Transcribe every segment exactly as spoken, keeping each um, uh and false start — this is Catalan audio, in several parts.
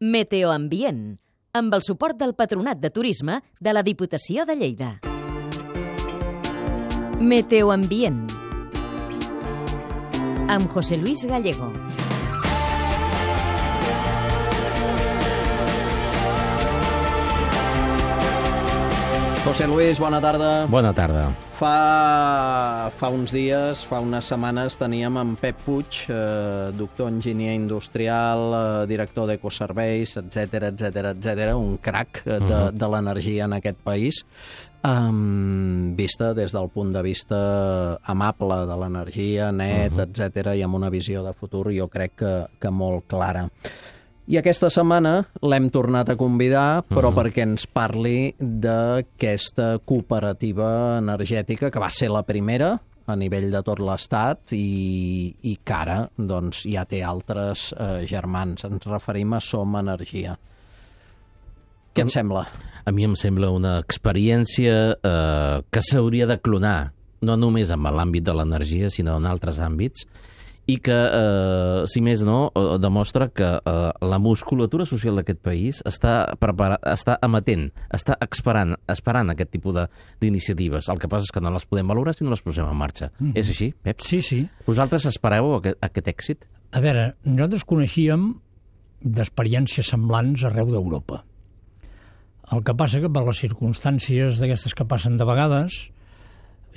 Meteoambient, amb el suport del Patronat de Turisme de la Diputació de Lleida. Meteoambient, amb José Luis Gallego. José Luis, bona tarda. Bona tarda. Fa, fa uns dies, fa unes setmanes, teníem en Pep Puig, eh, doctor enginyer industrial, eh, director d'Ecoserveis, etcètera, etcètera, etcètera, un crac de, uh-huh. de l'energia en aquest país, um, vista des del punt de vista amable de l'energia, net, uh-huh. etcètera, i amb una visió de futur, jo crec que, que molt clara. I aquesta setmana l'hem tornat a convidar, però uh-huh. perquè ens parli d'aquesta cooperativa energètica que va ser la primera a nivell de tot l'Estat i, i que ara doncs, ja té altres eh, germans. Ens referim a Som Energia. Què et sembla? A mi em sembla una experiència eh, que s'hauria de clonar, no només en l'àmbit de l'energia, sinó en altres àmbits, i que, eh, si més no, eh, demostra que eh, la musculatura social d'aquest país està, preparat, està amatent, està esperant, esperant aquest tipus d'iniciatives. El que passa és que no les podem valorar si no les posem en marxa. Mm-hmm. És així, Pep? Sí, sí. Vosaltres espereu aquest, aquest èxit? A veure, nosaltres coneixíem d'experiències semblants arreu d'Europa. El que passa que per les circumstàncies d'aquestes que passen de vegades,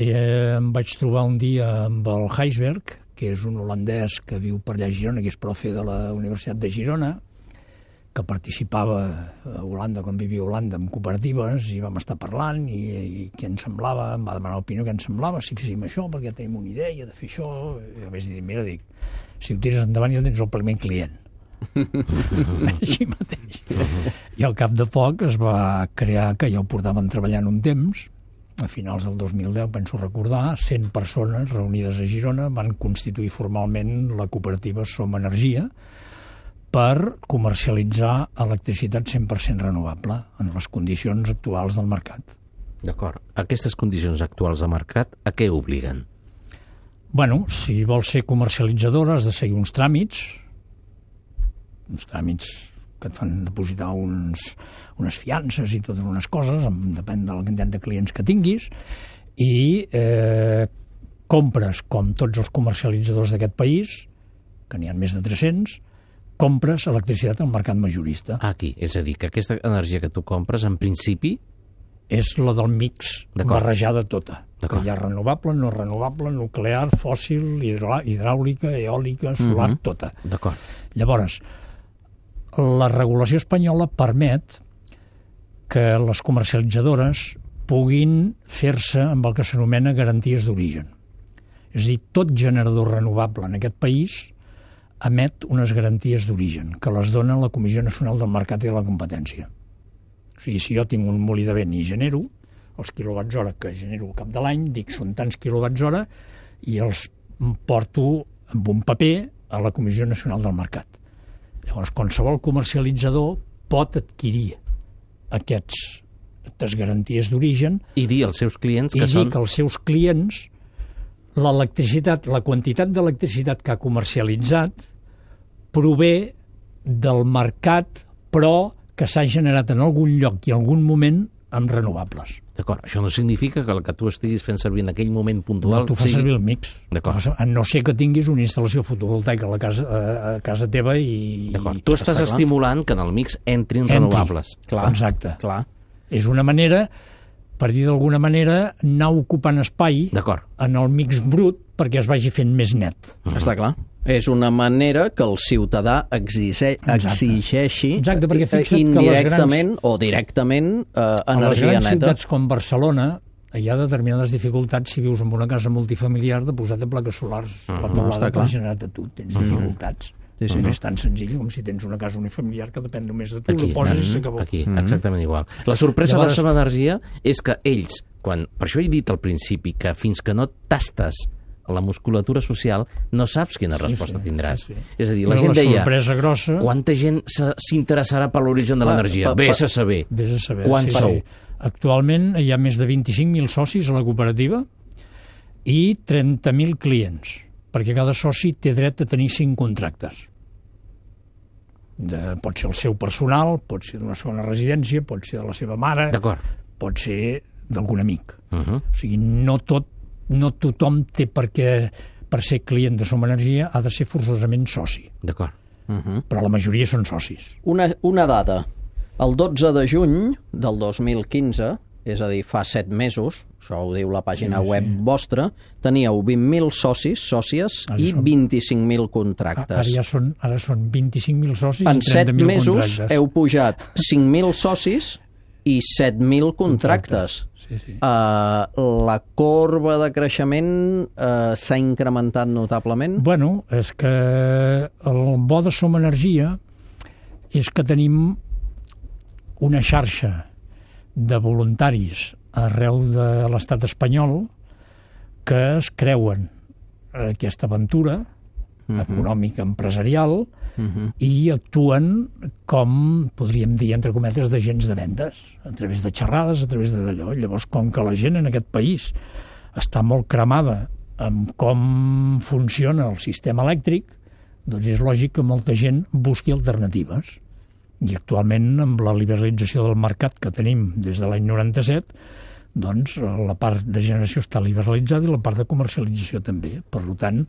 eh, em vaig trobar un dia amb el Heisberg, que és un holandès que viu per allà a Girona, que és profe de la Universitat de Girona, que participava a Holanda, quan vivia a Holanda, en cooperatives, i vam estar parlant, i, i què ens semblava, em va demanar l'opinió què ens semblava, si féssim això, perquè tenim una idea de fer això, i a més dir, mira, dic, si ho tires endavant ja tens el primer client. Així mateix. I al cap de poc es va crear, que ja ho portaven treballant un temps, a finals del dos mil deu, penso recordar, cent persones reunides a Girona van constituir formalment la cooperativa Som Energia per comercialitzar electricitat cent per cent renovable en les condicions actuals del mercat. D'acord. Aquestes condicions actuals de mercat, a què obliguen? Bueno, si vols ser comercialitzadora has de seguir uns tràmits, uns tràmits que et fan depositar uns, unes fiances i totes unes coses, depèn de la quantitat de clients que tinguis, i eh, compres, com tots els comercialitzadors d'aquest país, que n'hi ha més de tres-cents, compres electricitat al mercat majorista. Aquí, és a dir, que aquesta energia que tu compres, en principi... És la del mix barrejada tota, que hi ha renovable, no renovable, nuclear, fòssil, hidràulica, eòlica, solar, uh-huh. tota. D'acord. Llavors, la regulació espanyola permet que les comercialitzadores puguin fer-se amb el que s'anomena garanties d'origen. És a dir, tot generador renovable en aquest país emet unes garanties d'origen que les dona la Comissió Nacional del Mercat i de la Competència. O sigui, si jo tinc un molí de vent i genero, els quilowatts hora que genero al cap de l'any, dic són tants quilowatts hora i els porto amb un paper a la Comissió Nacional del Mercat. Llavors, qualsevol comercialitzador pot adquirir aquests, aquestes garanties d'origen i dir als seus clients que i són... dir que als seus clients l'electricitat, la quantitat d'electricitat que ha comercialitzat prové del mercat, però que s'ha generat en algun lloc i en algun moment amb renovables. D'acord, això no significa que el que tu estiguis fent servir en aquell moment puntual... No, tu fas sigui... servir el mix. D'acord. A no ser que tinguis una instal·lació fotovoltaica a la casa, a casa teva i... D'acord. Tu estàs estimulant que en el mix entrin Entri. renovables. Clar, exacte. Clar. És una manera, per dir d'alguna manera, anar ocupant espai en el mix brut perquè es vagi fent més net. Mm-hmm. Està clar. És una manera que el ciutadà exige, exigeixi Exacte, perquè fixa't indirectament que grans, o directament eh, energia neta. A les grans ciutats com Barcelona hi ha determinades dificultats si vius en una casa multifamiliar de posar-te plaques solars a la teulada que has generat a tu. Tens dificultats. Sí, sí. No és tan senzill com si tens una casa unifamiliar que depèn només de tu, aquí, ho poses i s'acabó. Aquí, exactament igual. La sorpresa Llavors... de Som Energia és que ells, quan, per això he dit al principi que fins que no tastes la musculatura social, no saps quina sí, resposta sí, tindràs. Sí, sí. És a dir, la Però gent la deia, grossa... quanta gent s'interessarà per l'origen de l'energia? Vés a saber. Vés a saber. Quants sí, sou? Sí. Actualment hi ha més de vint-i-cinc mil socis a la cooperativa i trenta mil clients, perquè cada soci té dret a tenir cinc contractes. De, pot ser el seu personal, pot ser d'una segona residència, pot ser de la seva mare, pot ser d'algun amic. Uh-huh. O sigui, no tot, no tothom té per què, per ser client de Som Energia, ha de ser forçosament soci. D'acord. Uh-huh. Però la majoria són socis. Una, una dada. El dotze de juny del dos mil quinze, és a dir, fa set mesos, això ho diu la pàgina sí, web sí. vostra, teníeu vint mil socis, sòcies, ara i són... vint-i-cinc mil contractes. Ara ja són, ara són vint-i-cinc mil socis en i trenta mil contractes. En set mesos heu pujat cinc mil socis i set mil contractes. Sí, sí. Uh, la corba de creixement uh, s'ha incrementat notablement? Bueno, és que el bo de Som Energia és que tenim una xarxa de voluntaris arreu de l'estat espanyol que es creuen aquesta aventura uh-huh. econòmica, empresarial, uh-huh. i actuen com, podríem dir, entre cometes, d'agents de vendes, a través de xerrades, a través d'allò. Llavors, com que la gent en aquest país està molt cremada amb com funciona el sistema elèctric, doncs és lògic que molta gent busqui alternatives. I actualment, amb la liberalització del mercat que tenim des de l'any noranta-set, doncs la part de generació està liberalitzada i la part de comercialització també. Per tant,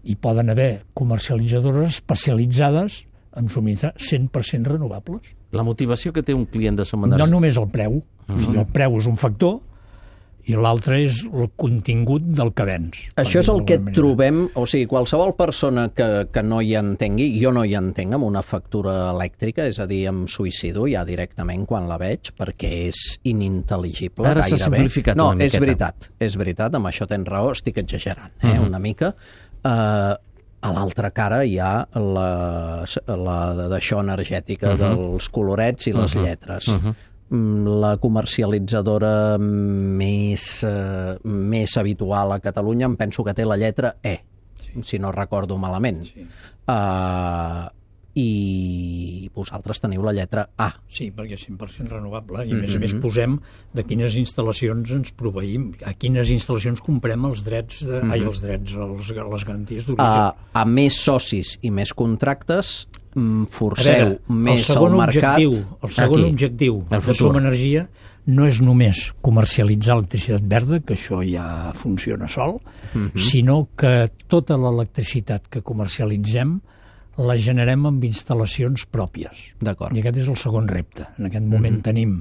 hi poden haver comercialitzadores especialitzades en subministrar cent per cent renovables. La motivació que té un client de Som Energia... No només el preu. Uh-huh. O sigui, el preu és un factor i l'altre és el contingut del que vens. Això és el que trobem, o sigui, qualsevol persona que, que no hi entengui, jo no hi entenc amb una factura elèctrica, és a dir, em suïcido ja directament quan la veig, perquè és inintel·ligible. Ara s'ha simplificat no, una miqueta. No, és veritat, és veritat, amb això tens raó, estic exagerant, eh, uh-huh. una mica. Uh, a l'altra cara hi ha la, la d'això energètica uh-huh. dels colorets i les uh-huh. lletres. Uh-huh. La comercialitzadora més, eh, més habitual a Catalunya em penso que té la lletra E, sí. si no recordo malament. Sí. Uh, I vosaltres teniu la lletra A. Sí, perquè és cent per cent renovable i a més a més posem de quines instal·lacions ens proveïm, a quines instal·lacions comprem els drets, de, mm-hmm. ai, els drets, els, les garanties d'origen. Uh, a més socis i més contractes forceu veure, més el al mercat. Objectiu, el segon Aquí, objectiu de Som Energia no és només comercialitzar electricitat verda, que això ja funciona sol, uh-huh. sinó que tota l'electricitat que comercialitzem la generem amb instal·lacions pròpies. D'acord. I aquest és el segon repte. En aquest moment uh-huh. tenim,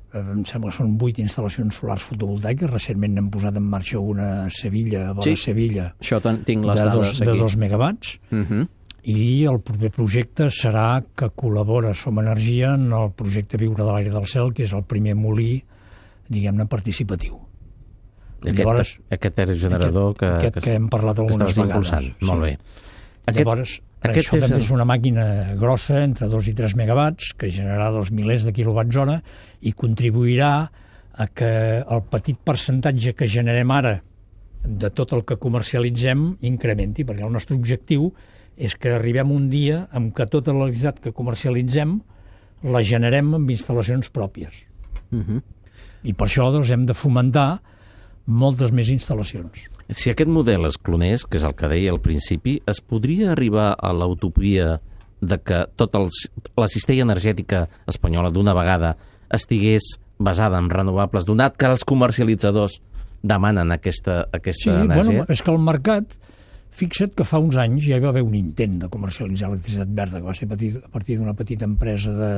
eh, em sembla que són vuit instal·lacions solars fotovoltaiques, recentment n'hem posat en marxa una a Sevilla, a vora sí. Sevilla, això tinc les de, dades dos, aquí. de dos megawatts, uh-huh. i el proper projecte serà que col·labora Som Energia en el projecte Viure de l'aire del cel, que és el primer molí, diguem-ne, participatiu. Aquest, Llavors, aquest aerogenerador aquest, que, aquest que, que hem parlat algunes vegades. Impulsant. Sí. Molt bé. Aquest, Llavors, aquest això és també el... és una màquina grossa, entre dos i tres megawatts, que generarà dos milers de quilowatts hora i contribuirà a que el petit percentatge que generem ara de tot el que comercialitzem incrementi, perquè el nostre objectiu és que arribem un dia en què tota l'electricitat que comercialitzem la generem amb instal·lacions pròpies. Uh-huh. I per això doncs, hem de fomentar moltes més instal·lacions. Si aquest model es clonés, que és el que deia al principi, es podria arribar a la utopia de que tota el, la cistella energètica espanyola d'una vegada estigués basada en renovables, donat que els comercialitzadors demanen aquesta, aquesta sí, energia? Bueno, és que el mercat... Fixa't que fa uns anys ja hi va haver un intent de comercialitzar electricitat verda, que va ser petit, a partir d'una petita empresa de,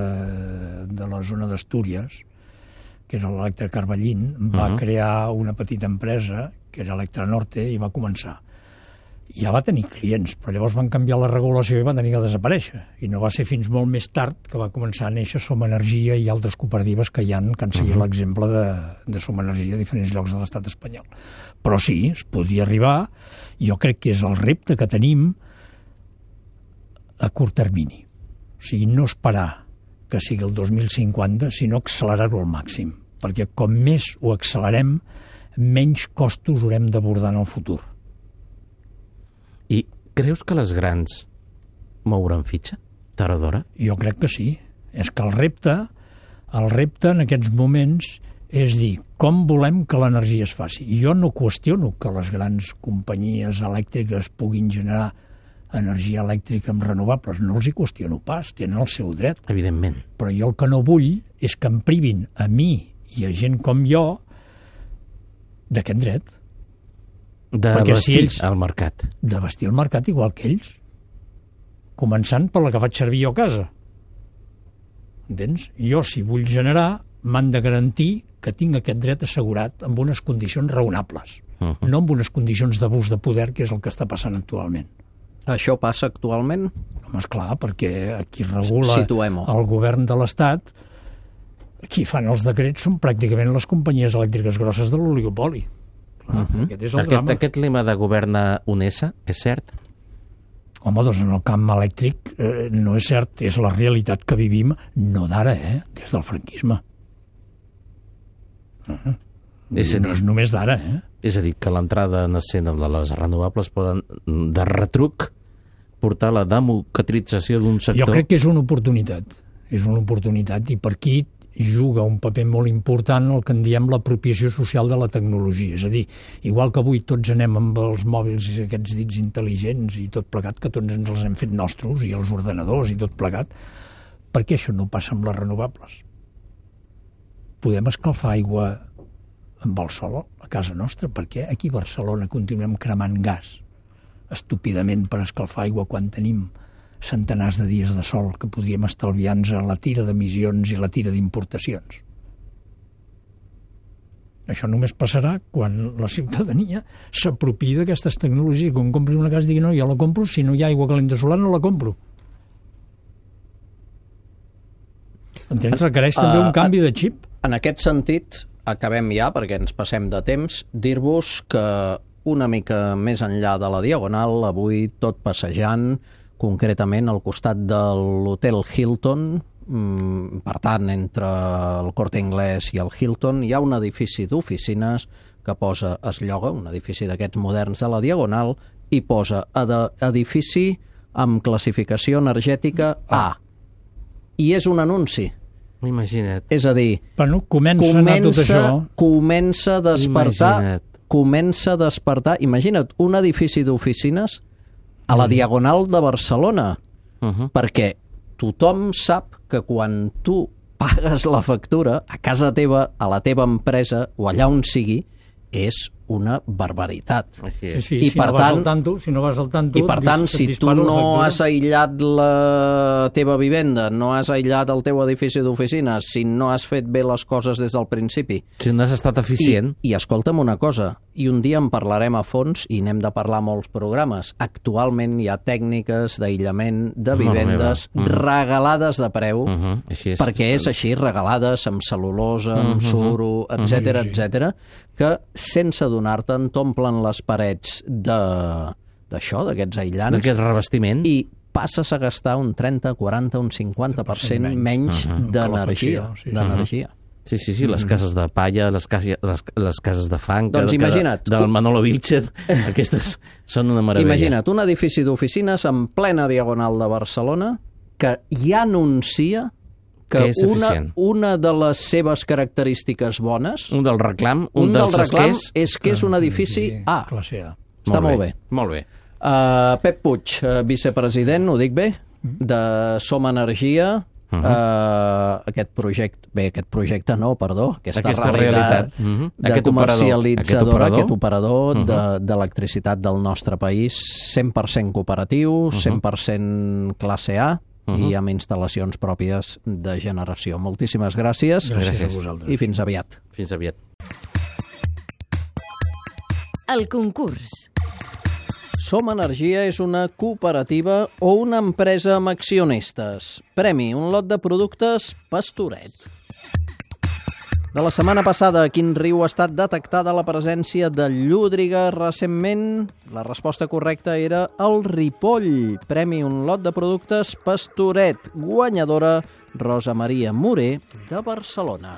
de la zona d'Astúries, que és l'Electra Carballín, va uh-huh. crear una petita empresa, que era Electra Norte, i va començar. Ja va tenir clients, però llavors van canviar la regulació i va tenir que desaparèixer. I no va ser fins molt més tard que va començar a néixer Som Energia i altres cooperatives que hi ha, que han seguit uh-huh. l'exemple de, de Som Energia a diferents llocs de l'estat espanyol. Però sí, es podria arribar. Jo crec que és el repte que tenim a curt termini. O sigui, no esperar que sigui el dos mil cinquanta, sinó accelerar-ho al màxim. Perquè com més ho accelerem, menys costos haurem d'abordar en el futur. I creus que les grans mouran fitxa, tard o d'hora? Jo crec que sí. És que el repte, el repte en aquests moments és dir, com volem que l'energia es faci? Jo no qüestiono que les grans companyies elèctriques puguin generar energia elèctrica amb renovables. No els hi qüestiono pas, tenen el seu dret. Evidentment. Però jo el que no vull és que em privin a mi i a gent com jo d'aquest dret. De Perquè vestir si ells- el mercat. De vestir el mercat igual que ells. Començant per la que faig servir jo a casa. Entens? Jo, si vull generar, m'han de garantir que tinc aquest dret assegurat amb unes condicions raonables, Uh -huh. no amb unes condicions d'abús de poder, que és el que està passant actualment. Això passa actualment? Home, esclar, perquè aquí regula Situem-ho. el govern de l'Estat, qui fan els decrets són pràcticament les companyies elèctriques grosses de l'oligopoli. Clar, uh-huh. Aquest és el Aquest, drama. aquest lema de governa UNESA, és cert? Home, doncs en el camp elèctric eh, no és cert, és la realitat que vivim, no d'ara, eh? Des del franquisme. Uh-huh. És a dir- No és només d'ara, eh? És a dir, que l'entrada en escena de les renovables poden, de retruc, portar la democratització d'un sector. Jo crec que és una oportunitat. És una oportunitat i per aquí juga un paper molt important el que en diem l'apropiació social de la tecnologia. És a dir, igual que avui tots anem amb els mòbils i aquests dits intel·ligents i tot plegat, que tots ens els hem fet nostres, i els ordenadors i tot plegat, per què això no passa amb les renovables? Podem escalfar aigua amb el sol a casa nostra? Per què aquí a Barcelona continuem cremant gas estúpidament per escalfar aigua quan tenim centenars de dies de sol que podríem estalviar-nos a la tira d'emissions i la tira d'importacions? Això només passarà quan la ciutadania s'apropiï d'aquestes tecnologies. Quan compri una casa digui, no, jo la compro, si no hi ha aigua calenta solar no la compro. Entens? Requereix també un canvi de xip. En aquest sentit, acabem ja, perquè ens passem de temps, dir-vos que una mica més enllà de la Diagonal, avui tot passejant, concretament al costat de l'Hotel Hilton, per tant, entre el Corte Inglés i el Hilton, hi ha un edifici d'oficines que posa, es lloga, un edifici d'aquests moderns de la Diagonal, i posa edifici amb classificació energètica A. I és un anunci. Imagina't. És a dir, Bueno, comença, a anar tot comença, això. comença a despertar, Imagina't. comença a despertar, imagina't, un edifici d'oficines a la Diagonal de Barcelona, Uh -huh. perquè tothom sap que quan tu pagues la factura a casa teva, a la teva empresa o allà on sigui, és una barbaritat. Així Sí, és. sí, I si per no vas tant- al tanto, si no vas al tanto... I per dis- tant, et si tu dispara la no factura. has aïllat la teva vivenda, no has aïllat el teu edifici d'oficines, si no has fet bé les coses des del principi, Si no has estat eficient, I, I escolta'm una cosa, i un dia en parlarem a fons i n'hem de parlar a molts programes. Actualment hi ha tècniques d'aïllament de Mare vivendes meva. Mm. regalades de preu, uh -huh. així és. perquè és així, regalades amb cel·lulosa, amb suro, etcètera, Sí, sí. etcètera, que sense adonar-te'n t'omplen les parets de d'això, d'aquests aïllants, d'aquest revestiment. i passes a gastar un trenta, quaranta, un cinquanta per cent menys d'energia. Calefacció, sí. d'energia. Sí, sí, sí, les cases de palla, les, cases, les, les cases de fang... Doncs que- que imagina't. De, del Manolo Vilchez, aquestes són una meravella. Imagina't, un edifici d'oficines en plena Diagonal de Barcelona que ja anuncia que, Que és una, eficient. una de les seves característiques bones, Un del reclam, un, un, dels del reclam, esquers... és que és un edifici A. Classe A. Està molt bé. Molt bé. Uh, Pep Puig, uh, vicepresident, ho dic bé, de Som Energia, uh -huh. uh, aquest projecte, bé, aquest projecte no, perdó, aquesta, Aquesta realitat, realitat. Uh -huh. de Aquest operador. comercialitzadora, Aquest aquest operador, Uh -huh. de- d'electricitat del nostre país, cent per cent cooperatiu, cent per cent classe A, Uh -huh. i amb instal·lacions pròpies de generació. Moltíssimes gràcies, Gràcies, Gràcies. a vosaltres. i fins aviat. Fins aviat. El concurs. Som Energia és una cooperativa o una empresa amb accionistes. Premi, un lot de productes Pastoret. De la setmana passada, a quin riu ha estat detectada la presència de llúdriga recentment? La resposta correcta era el Ripoll. Premi, un lot de productes Pastoret. Guanyadora, Rosa Maria Moré, de Barcelona.